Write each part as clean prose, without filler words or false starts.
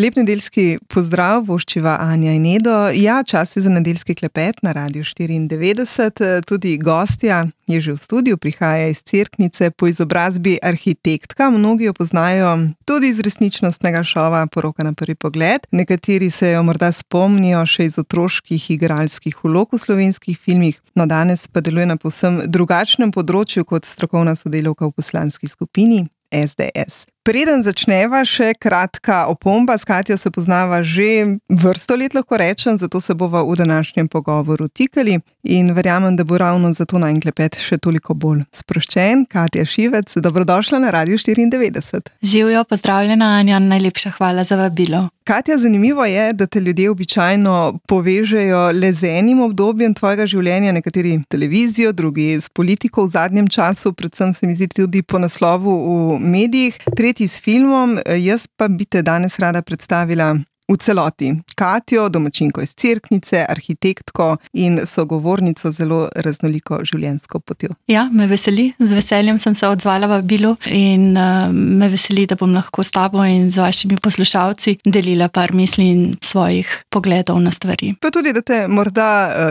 Lep nedeljski pozdrav, voščiva Anja in Edo. Ja, čas je za nedeljski klepet na Radiu 94. Tudi gostja je že v studiu, prihaja iz Cerknice, po izobrazbi arhitektka. Mnogi jo poznajo tudi iz resničnostnega šova Poroka na prvi pogled. Nekateri se jo morda spomnijo še iz otroških igralskih vlog v slovenskih filmih, no danes pa deluje na povsem drugačnem področju kot strokovna sodelavka v poslanski skupini SDS. Preden začneva, še kratka opomba. S Katjo se poznava že vrsto let, lahko rečem, zato se bova v današnjem pogovoru tikali in verjamem, da bo ravno zato najin klepet še toliko bolj sproščen. Katja Šivec, dobrodošla na Radiu 94. Živjo, pozdravljena Anja, najlepša hvala za vabilo. Katja, zanimivo je, da te ljudje običajno povežejo le z enim obdobjem tvojega življenja, nekateri televizijo, drugi s politiko v zadnjem času, predvsem se mi zdi tudi po naslovu v medijih, tretji s filmom. Jaz pa bi te danes rada predstavila v celoti. Katjo, domačinko iz Cerknice, arhitektko in sogovornico zelo raznoliko življenjsko potjo. Ja, me veseli, z veseljem sem se odzvala vabilu in me veseli, da bom lahko s tabo in z vašimi poslušalci delila par misli in svojih pogledov na stvari. Pa tudi, da te morda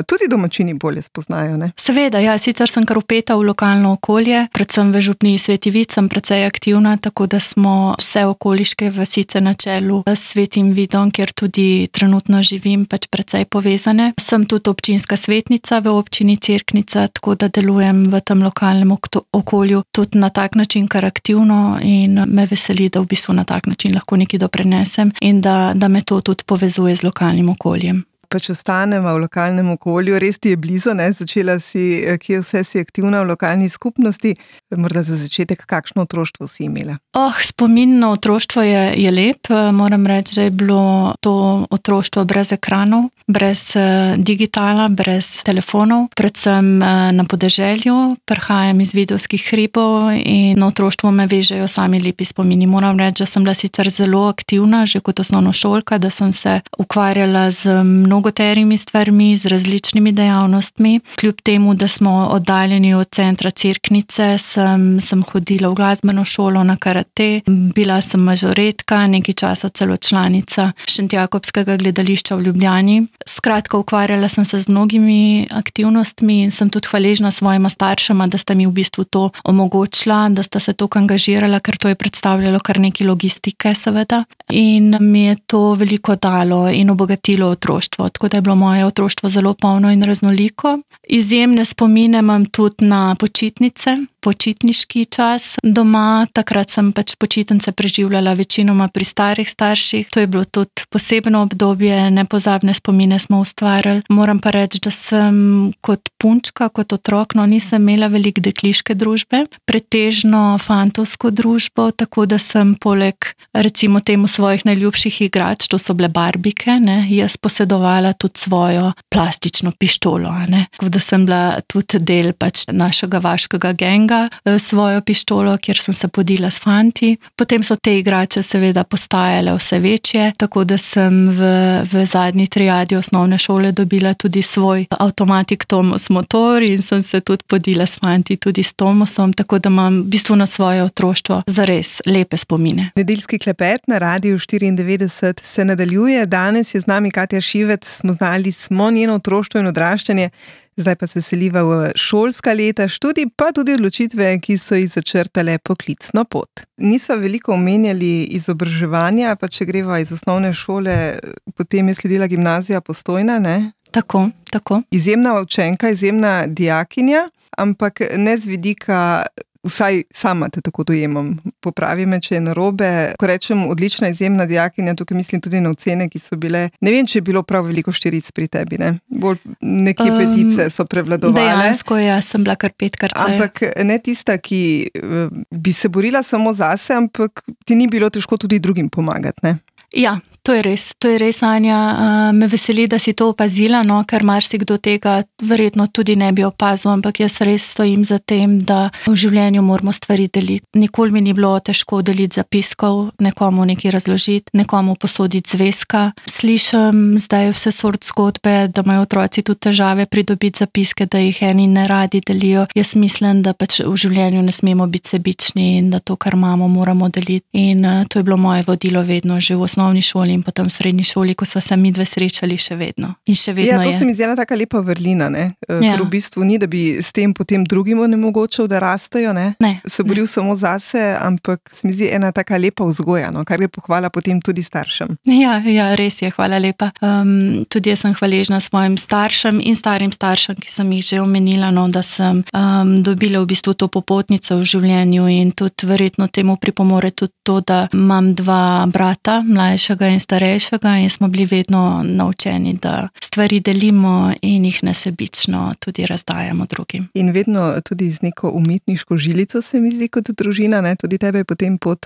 tudi domačini bolje spoznajo, ne? Seveda, ja, sicer sem kar vpeta v lokalno okolje, predvsem v župniji Sveti Vid sem precej aktivna, tako da smo vse okoliške vasice na čelu s Svetim Vidom, kjer tudi trenutno živim, pač precej povezane. Sem tudi občinska svetnica v občini Cerknica, tako da delujem v tem lokalnem okolju tudi na tak način kar aktivno in me veseli, da v bistvu na tak način lahko nekaj doprinesem in da me to tudi povezuje z lokalnim okoljem. Pa če ostanemo v lokalnem okolju, res ti je blizu, ne? Začela si, kje vse si aktivna v lokalni skupnosti, morda za začetek, kakšno otroštvo si imela? Spomin na otroštvo je lep, moram reči, da je bilo to otroštvo brez ekranov, brez digitala, brez telefonov, predvsem na podeželju, prihajam iz Vidovskih hribov in na otroštvo me vežejo sami lepi spomini. Moram reči, da sem bila sicer zelo aktivna, že kot osnovnošolka, da sem se ukvarjala z mnogoterimi stvarmi, z različnimi dejavnostmi. Kljub temu, da smo oddaljeni od centra Cerknice, sem hodila v glasbeno šolo na karate, bila sem mažoretka, nekaj časa celo članica Šentjakobskega gledališča v Ljubljani. Skratka, ukvarjala sem se z mnogimi aktivnostmi in sem tudi hvaležna svojima staršema, da sta mi v bistvu to omogočila, da sta se toliko angažirala, ker to je predstavljalo kar nekaj logistike, seveda. In mi je to veliko dalo in obogatilo otroštvo. Tako da je bilo moje otroštvo zelo polno in raznoliko. Izjemne spomine imam tudi na počitnice, počitniški čas doma. Takrat sem pač počitnice preživljala večinoma pri starih starših. To je bilo tudi posebno obdobje, nepozabne spomine smo ustvarjali. Moram pa reči, da sem kot punčka, kot otrok, nisem imela veliko dekliške družbe, pretežno fantovsko družbo, tako da sem poleg recimo temu svojih najljubših igrač, to so bile barbike, jaz posedovala tudi svojo plastično pištolo, Tako da sem bila tudi del pač našega vaškega genga, svojo pištolo, kjer sem se podila s fanti. Potem so te igrače seveda postajale vse večje, tako da sem v zadnji triadi osnovne šole dobila tudi svoj avtomatik Tomos motor in sem se tudi podila s fanti tudi s Tomosom, tako da imam v bistvu na svoje otroštvo zares lepe spomine. Nedeljski klepet na Radiu 94 se nadaljuje. Danes je z nami Katja Šivec, znali smo njeno otroštvo in odraščanje, zdaj pa se seliva v šolska leta, študij pa tudi odločitve, ki so jih začrtale poklicno pot. Nisva veliko omenjali izobraževanja, pa če greva iz osnovne šole, potem je sledila gimnazija Postojna, ne? Tako. Izjemna učenka, izjemna dijakinja, ampak ne z vidika, vsaj sama te tako dojemam, popravi me, če je narobe. Ko rečem odlična, izjemna dijakinja, tukaj mislim tudi na ocene, ki so bile, ne vem, če je bilo prav veliko štiric pri tebi, ne? Bolj nekje petice so prevladovale. Dejansko, jaz sem bila kar petkrat. Ampak ne tista, ki bi se borila samo zase, ampak ti ni bilo težko tudi drugim pomagati, ne? Ja, to je res, Anja. Me veseli, da si to opazila, ker marsikdo tega verjetno tudi ne bi opazil, ampak jaz res stojim za tem, da v življenju moramo stvari deliti. Nikoli mi ni bilo težko deliti zapiskov, nekomu nekaj razložiti, nekomu posoditi zvezka. Slišim zdaj vse sort zgodbe, da imajo otroci tudi težave pridobiti zapiske, da jih eni ne radi delijo. Jaz mislim, da pač v življenju ne smemo biti sebični in da to, kar imamo, moramo deliti. In to je bilo moje vodilo vedno že v osnovni šoli in potem v srednji šoli, ko sva se midve srečali še vedno. In še vedno to se mi zdi ena taka lepa vrlina, ne? Ker v bistvu ni, da bi s tem potem drugim onemogočil, da rastejo, ne? Se boril samo zase, ampak se mi zdi ena taka lepa vzgoja, no? Kar je pohvala potem tudi staršem. Ja, res je, hvala lepa. Tudi jaz sem hvaležna svojim staršem in starim staršem, ki sem jih že omenila, no, da sem dobila v bistvu to popotnico v življenju in tudi verjetno temu pripomore tudi to, da imam dva brata, mlajšega in starejšega, in smo bili vedno naučeni, da stvari delimo in jih nesebično tudi razdajamo drugim. In vedno tudi z neko umetniško žilico se mi zdi kot družina, ne? Tudi tebe je potem pot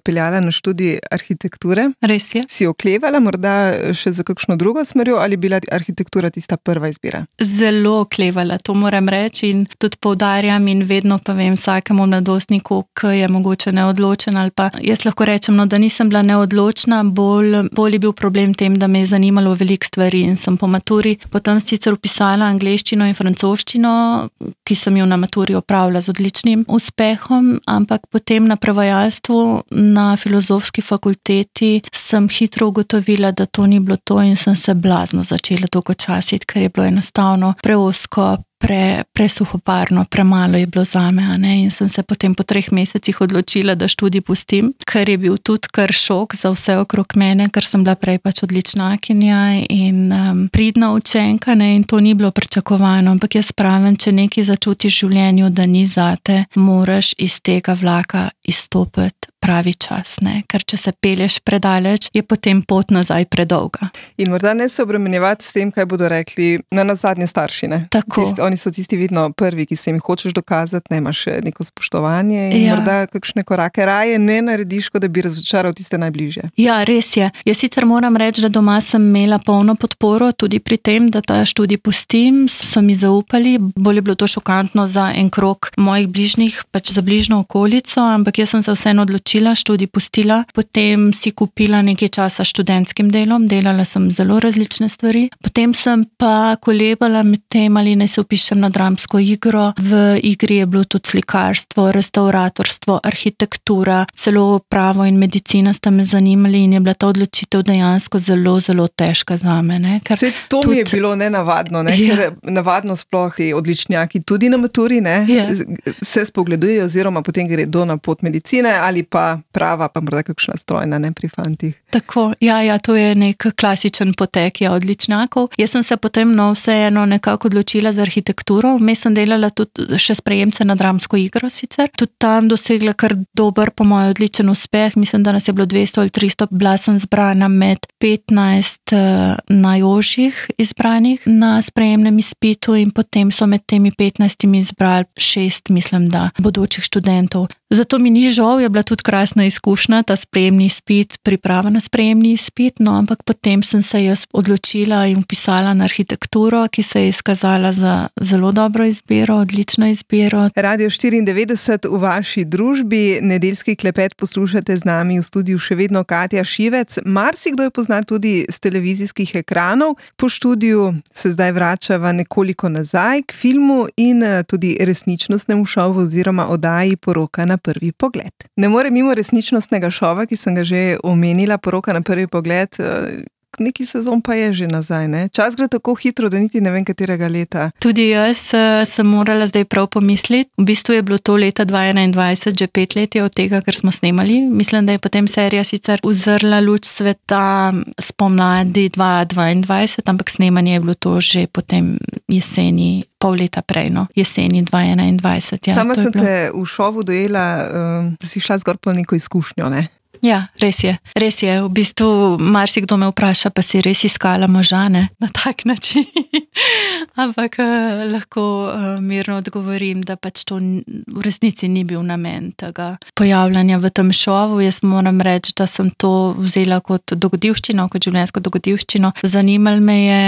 peljala na študij arhitekture. Res je. Si oklevala morda še za kakšno drugo smerjo ali bila arhitektura tista prva izbira? Zelo oklevala, to moram reči in tudi poudarjam in vedno povem vsakemu mladostniku, ki je mogoče neodločen ali pa jaz lahko rečem, da nisem bila neodločna, bolj je bil problem tem, da me je zanimalo veliko stvari in sem po maturi potem sicer vpisala angleščino in francoščino, ki sem jo na maturi opravila z odličnim uspehom, ampak potem na prevajalstvu na filozofski fakulteti sem hitro ugotovila, da to ni bilo to in sem se blazno začela dolgočasiti, ker je bilo enostavno preozko, presuhoparno, premalo je bilo zame, in sem se potem po 3 mesecih odločila, da študij pustim, ker je bil tudi kar šok za vse okrog mene, ker sem bila prej pač odličnakinja in pridna učenka, in to ni bilo pričakovano, ampak jaz pravim, če nekaj začutiš v življenju, da ni zate, moraš iz tega vlaka izstopiti pravi čas, ker če se pelješ predaleč, je potem pot nazaj predolga. In morda ne se obremenjevati s tem, kaj bodo rekli na nazadnje starši, ne? Tako. Oni so tisti vedno prvi, ki se jim hočeš dokazati, ne imaš neko spoštovanje in morda kakšne korake raje ne narediš, kot da bi razočaral tiste najbližje. Ja, res je. Jaz sicer moram reči, da doma sem imela polno podporo tudi pri tem, da ta študij pustim, so mi zaupali, bolj je bilo to šokantno za en krog mojih bližnjih, pač za bližnjo okolico, ampak jaz sem se vseeno odločila, študij pustila, potem si kupila nekaj časa študentskim delom, delala sem zelo različne stvari, potem sem pa kolebala med tem, ali naj se vpišem na dramsko igro, v igri je bilo tudi slikarstvo, restauratorstvo, arhitektura, celo pravo in medicina sta me zanimali in je bila ta odločitev dejansko zelo, zelo težka zame. Saj to mi je bilo nenavadno, ker navadno sploh ti odličnjaki tudi na maturi, se spogledujejo oziroma potem gredo na pot medicine ali pa prava, pa morda kakšna strojna, pri fantih. Tako, ja, to je nek klasičen potek odličnjakov. Jaz sem se potem vseeno nekako odločila za arhitekturo, vmes sem delala tudi še sprejemce na dramsko igro sicer, tudi tam dosegla kar dober, po mojem, odličen uspeh, mislim, da nas je bilo 200 ali 300, bila sem zbrana med 15 najožjih izbranih na sprejemnem izpitu in potem so med temi 15 izbrali 6, mislim, da bodočih študentov. Zato mi ni žal, je bila tudi krasna izkušnja, ta sprejemni izpit, priprava na sprejemni izpit, ampak potem sem se jaz odločila in vpisala na arhitekturo, ki se je izkazala za zelo dobro izbiro, odlično izbiro. Radio 94 v vaši družbi, nedeljski klepet poslušate z nami v studiu še vedno Katja Šivec. Marsikdo jo pozna tudi z televizijskih ekranov. Po študiju se zdaj vračava nekoliko nazaj k filmu in tudi resničnostnemu šovu oziroma oddaji Poroka na prvi pogled. Ne more mimo resničnostnega šova, ki sem ga že omenila, Poroka na prvi pogled, neki sezon pa je že nazaj, ne? Čas gre tako hitro, da niti ne vem, katerega leta. Tudi jaz sem morala zdaj prav pomisliti. V bistvu je bilo to leta 2021, že 5 let je od tega, kar smo snemali. Mislim, da je potem serija sicer uzrla luč sveta spomladi 2022, ampak snemanje je bilo to že potem jeseni, pol leta prej, jeseni 2021. Ja, sama sem te v šovu dojela, da si šla zgor po neko izkušnjo, ne? Ja, res je. V bistvu marsikdo me vpraša, pa si res iskala moža, ne? Na tak način. Ampak lahko mirno odgovorim, da pač to v resnici ni bil namen tega pojavljanja v tem šovu. Jaz moram reči, da sem to vzela kot dogodivščino, kot življenjsko dogodivščino. Zanimalo me je,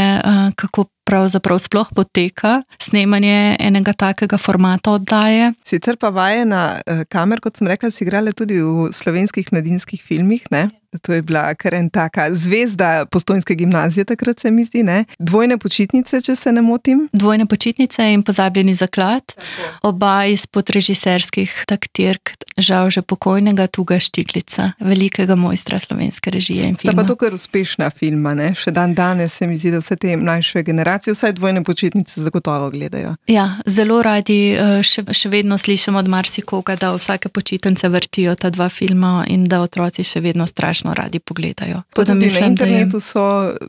kako pravzaprav sploh poteka snemanje enega takega formata oddaje. Sicer pa vajena kamer, kot sem rekla, si igrala tudi v slovenskih mladinskih filmih, ne? To je bila kar en taka zvezda Postojnske gimnazije, takrat se mi zdi, ne? Dvojne počitnice, če se ne motim. Dvojne počitnice in Pozabljeni zaklad. Oba izpod režiserskih taktirk, žal že pokojnega Tuga Štiglica, velikega mojstra slovenske režije in filma. Sta pa to kar uspešna filma, ne? Še dan danes se mi zdi, da vse te mlajše generacije vsaj Dvojne počitnice zagotovo gledajo. Ja, zelo radi še vedno slišim od marsikoga, da vsake počitnice vrtijo ta dva filma in da otroci še vedno strašno radi pogledajo. Pa tudi na internetu so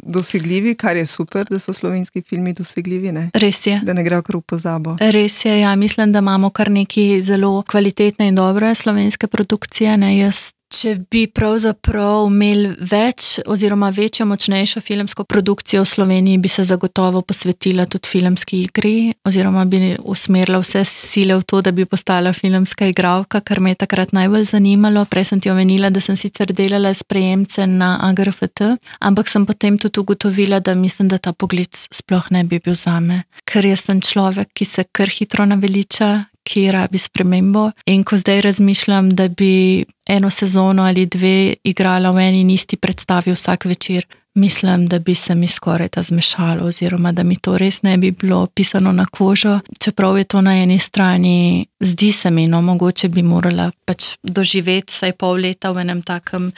dosegljivi, kar je super, da so slovenski filmi dosegljivi, ne? Res je. Da ne grejo kar v pozabo. Res je, ja, mislim, da imamo kar neki zelo kvalitetne in dobre slovenske produkcije, ne, Če bi pravzaprav imeli več oziroma večjo, močnejšo filmsko produkcijo v Sloveniji, bi se zagotovo posvetila tudi filmski igri oziroma bi usmerila vse sile v to, da bi postala filmska igralka, kar me je takrat najbolj zanimalo. Prej sem ti omenila, da sem sicer delala sprejemce na AGRFT, ampak sem potem tudi ugotovila, da mislim, da ta pogled sploh ne bi bil zame. Ker jaz sem človek, ki se kar hitro naveliča, ki rabi spremembo in ko zdaj razmišljam, da bi eno sezono ali dve igrala v eni in isti predstavi vsak večer, mislim, da bi se mi skoraj ta zmešalo oziroma da mi to res ne bi bilo pisano na kožo, čeprav je to na eni strani, zdi se mi, no, mogoče bi morala pač doživeti vsaj pol leta v enem takem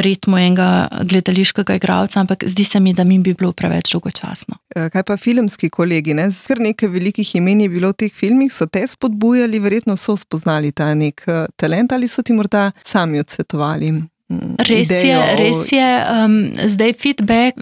ritmu enega gledališkega igralca, ampak zdi se mi, da mi bi bilo preveč dolgočasno. Kaj pa filmski kolegi, ne? Kar nekaj velikih imen je bilo v teh filmih, so te spodbujali, verjetno so spoznali ta nek talent ali so ti morda sami odsvetovali? Res je. Zdaj feedback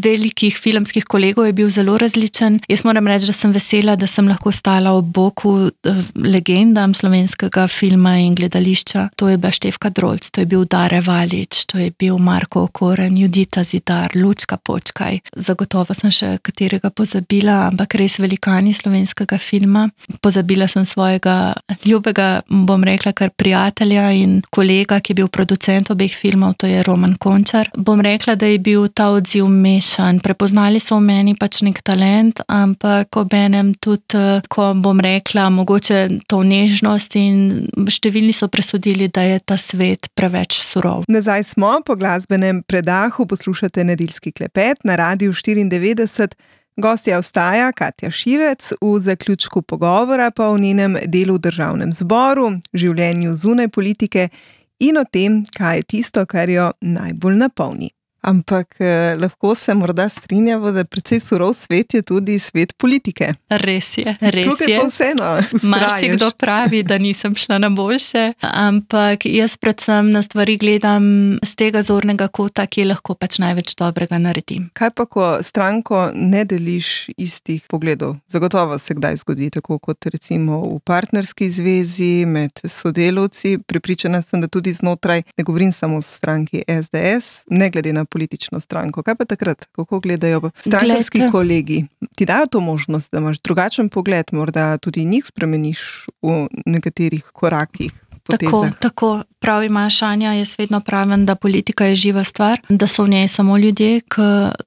velikih filmskih kolegov je bil zelo različen. Jaz moram reči, da sem vesela, da sem lahko stala ob boku legendam slovenskega filma in gledališča. To je bila Štefka Drolc, to je bil Dare Valič, to je bil Marko Okoren, Judita Zidar, Lučka Počkaj. Zagotovo sem še katerega pozabila, ampak res velikani slovenskega filma. Pozabila sem svojega ljubega, bom rekla, kar prijatelja in kolega, ki je bil producent obeh filmov, to je Roman Končar. Bom rekla, da je bil ta odziv mešan. Prepoznali so v meni pač nek talent, ampak obenem tudi, ko bom rekla, mogoče to nežnost in številni so presodili, da je ta svet preveč surov. Nazaj smo po glasbenem predahu, poslušate Nedeljski klepet na Radiu 94. Gostja ostaja Katja Šivec, v zaključku pogovora pa o njenem delu v Državnem zboru, življenju zunaj politike in o tem, kaj je tisto, kar jo najbolj napolni. Ampak lahko se morda strinjamo, da precej surov svet je tudi svet politike. Res je. Tukaj pa vseeno ustrajaš. Marsikdo pravi, da nisem šla na boljše, ampak jaz predvsem na stvari gledam z tega zornega kota, ki lahko pač največ dobrega naredim. Kaj pa, ko stranko ne deliš istih pogledov? Zagotovo se kdaj zgodi, tako kot recimo v partnerski zvezi, med sodelavci. Prepričana sem, da tudi znotraj, ne govorim samo o stranki SDS, ne glede na politično stranko. Kaj pa takrat? Kako gledajo strankarski kolegi? Ti dajo to možnost, da imaš drugačen pogled, morda tudi njih spremeniš v nekaterih korakih? Tako, prav imaš, Anja, jaz vedno pravim, da politika je živa stvar, da so v njej samo ljudje,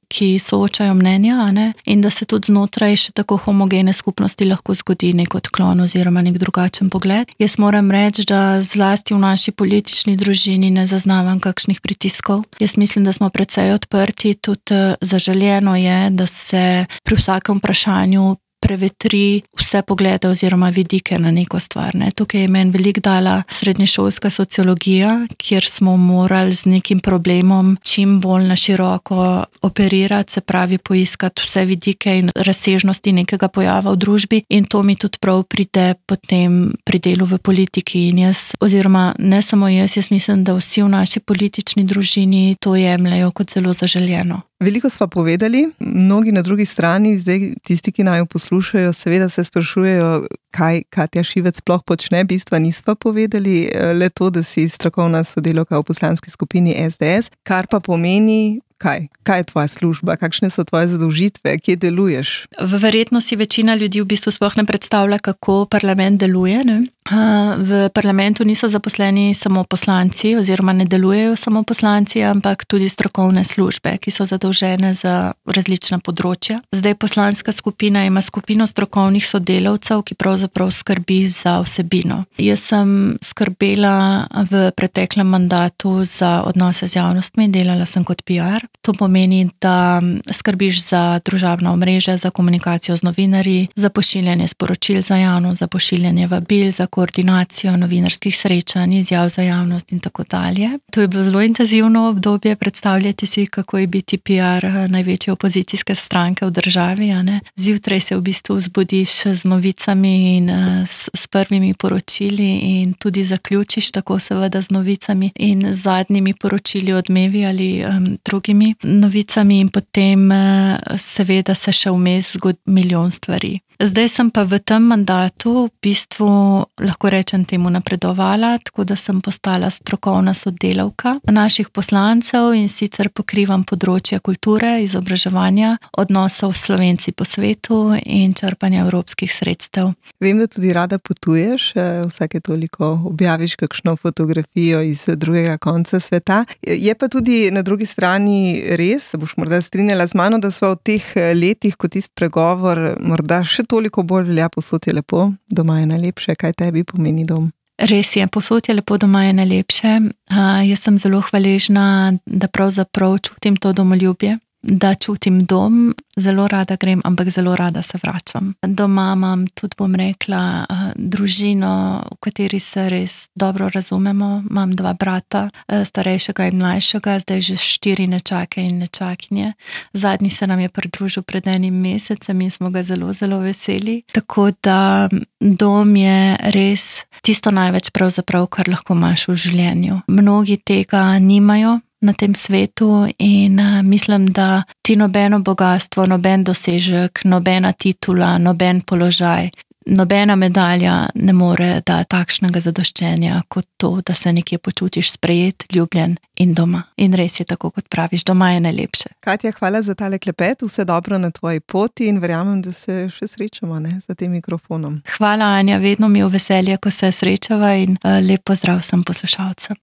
ki soočajo mnenja, ne? In da se tudi znotraj še tako homogene skupnosti lahko zgodi nek odklon oziroma nek drugačen pogled. Jaz moram reči, da zlasti v naši politični družini ne zaznavam kakšnih pritiskov. Jaz mislim, da smo precej odprti, tudi zaželjeno je, da se pri vsakem vprašanju prevetri vse poglede oziroma vidike na neko stvar. Ne. Tukaj je meni veliko dala srednješolska sociologija, kjer smo morali z nekim problemom čim bolj na široko operirati, se pravi poiskati vse vidike in razsežnosti nekega pojava v družbi in to mi tudi prav pride potem pri delu v politiki in jaz, oziroma ne samo jaz mislim, da vsi v naši politični družini to jemljajo kot zelo zaželjeno. Veliko sva povedali, mnogi na drugi strani, zdaj tisti, ki naju poslušajo, seveda se sprašujejo, kaj Katja Šivec sploh počne, bistva nisva povedali, le to, da si strokovna sodelavka v poslanski skupini SDS, kar pa pomeni, kaj je tvoja služba, kakšne so tvoje zadolžitve, kje deluješ? Verjetno si večina ljudi v bistvu sploh ne predstavlja, kako parlament deluje, ne? V parlamentu niso zaposleni samo poslanci oziroma ne delujejo samo poslanci, ampak tudi strokovne službe, ki so zadolžene za različna področja. Zdaj poslanska skupina ima skupino strokovnih sodelavcev, ki pravzaprav pravzaprav skrbi za vsebino. Jaz sem skrbela v preteklem mandatu za odnose z javnostmi, delala sem kot PR. To pomeni, da skrbiš za družabna omrežja, za komunikacijo z novinarji, za pošiljanje sporočil za javnost, za pošiljanje vabil, za koordinacijo novinarskih srečanj, izjav za javnost in tako dalje. To je bilo zelo intenzivno obdobje. Predstavljate si, kako je biti PR največje opozicijske stranke v državi. Zjutraj se v bistvu zbudiš z novicami in s prvimi poročili in tudi zaključiš tako seveda z novicami in z zadnjimi poročili, odmevi ali drugimi novicami in potem seveda se še vmes zgodi milijon stvari. Zdaj sem pa v tem mandatu v bistvu, lahko rečem temu, napredovala, tako da sem postala strokovna sodelavka naših poslancev in sicer pokrivam področje kulture, izobraževanja, odnosov s Slovenci po svetu in črpanja evropskih sredstev. Vem, da tudi rada potuješ, vsake toliko objaviš kakšno fotografijo iz drugega konca sveta. Je pa tudi na drugi strani res, boš morda strinjala z mano, da sva v teh letih, kot tisti pregovor, morda še toliko bolj velja, povsod je lepo, doma je najlepše. Kaj tebi pomeni dom? Res je, povsod je lepo, doma je najlepše. Jaz sem zelo hvaležna, da pravzaprav čutim to domoljubje, da čutim dom, zelo rada grem, ampak zelo rada se vračam. Doma imam tudi, bom rekla, družino, v kateri se res dobro razumemo. Imam 2 brata, starejšega in mlajšega, zdaj že 4 nečake in nečakinje. Zadnji se nam je pridružil pred 1 mesecem in smo ga zelo, zelo veseli. Tako da dom je res tisto največ pravzaprav, kar lahko imaš v življenju. Mnogi tega nimajo na tem svetu in mislim, da ti nobeno bogastvo, noben dosežek, nobena titula, noben položaj, nobena medalja ne more dati takšnega zadoščenja kot to, da se nekje počutiš sprejet, ljubljen in doma. In res je tako, kot praviš, doma je najlepše. Katja, hvala za tale klepet, vse dobro na tvoji poti in verjamem, da se še srečamo za tem mikrofonom. Hvala, Anja, vedno mi je v veselje, ko se srečava in lep pozdrav vsem poslušalcem.